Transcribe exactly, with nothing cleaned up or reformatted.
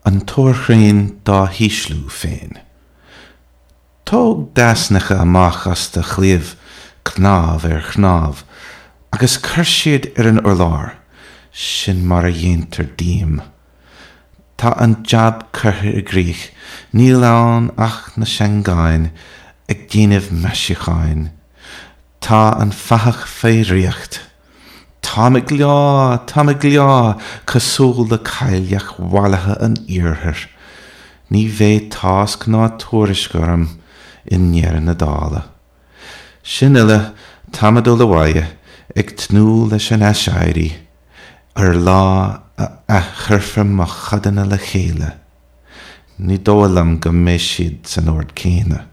An taorchrainn dá hísliú féin. Tóg d'easnacha amach as do chliabh, cnámh ar chnámh, agus cuir siad ar an urlár, sin mar a dhéantar díom. Tá an jab curtha i gcrích, níl ann ach na seangáin ag déanamh maisiúcháin. Tá an fathach fé dhraíocht. Táim ag leá, táim ag leá, cosúil le cailleach mhallaithe an iarthair. Ní bheidh tásc ná tuairisc orm i ndeireadh na dála. Sin uile, táim ag dul abhaile, ag tnúth leis an aiséirí, ar lá a athchuirfear mo chodanna le chéile. Ní dóigh liom go mbeidh siad san ord céanna.